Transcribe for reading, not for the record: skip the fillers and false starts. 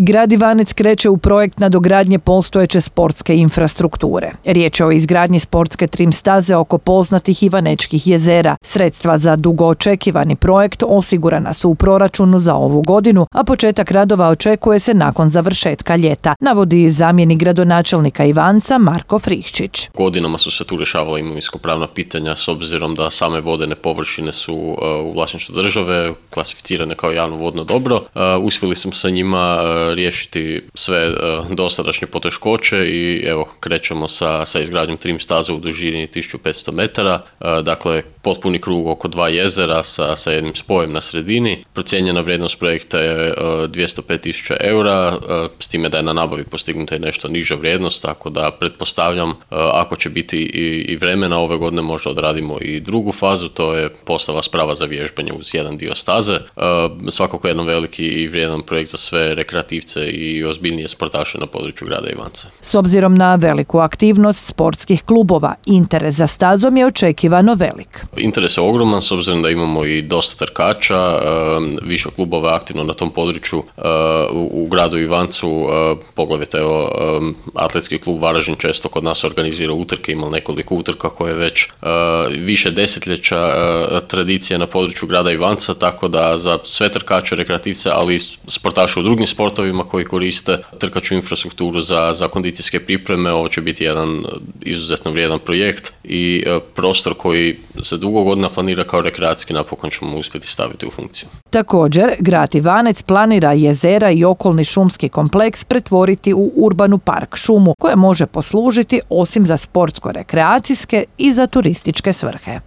Grad Ivanec kreće u projekt nadogradnje postojeće sportske infrastrukture. Riječ je o izgradnji sportske trim staze oko poznatih Ivanečkih jezera. Sredstva za dugo očekivani projekt osigurana su u proračunu za ovu godinu, a početak radova očekuje se nakon završetka ljeta, navodi zamjenik gradonačelnika Ivanca Marko Frihčić. Godinama su se tu rješavala imovinsko-pravna pitanja s obzirom da same vodene površine su u vlasništvu države, klasificirane kao javno vodno dobro. Uspjeli smo sa njima riješiti sve dosadašnje poteškoće i evo krećemo sa izgradnjom trim staze u dužini 1500 metara, dakle potpuni krug oko 2 jezera sa jednim spojem na sredini. Procijenjena vrijednost projekta je 205.000 eura, s time da je na nabavi postignuta i nešto niža vrijednost, tako da pretpostavljam ako će biti i vremena ove godine možda odradimo i drugu fazu, to je postava sprava za vježbanje uz jedan dio staze. Svakako jedan veliki i vrijedan projekt za sve rekreativce i ozbiljnije sportaše na području grada Ivanca. S obzirom na veliku aktivnost sportskih klubova, interes za stazom je očekivano velik. Interes je ogroman s obzirom da imamo i dosta trkača, više klubova aktivno na tom području u gradu Ivancu, poglavito evo atletski klub Varaždin često kod nas organizira utrke, ima nekoliko utrka koje već više desetljeća tradicije na području grada Ivanca, tako da za sve trkače, rekreativce, ali i sportaše u drugim sportovima koji koriste trkaču infrastrukturu za kondicijske pripreme, ovo će biti jedan izuzetno vrijedan projekt i prostor koji se dugo godina planira kao rekreacijski, napokon ćemo uspjeti staviti u funkciju. Također, grad Ivanec planira jezera i okolni šumski kompleks pretvoriti u urbanu park šumu koja može poslužiti osim za sportsko-rekreacijske i za turističke svrhe.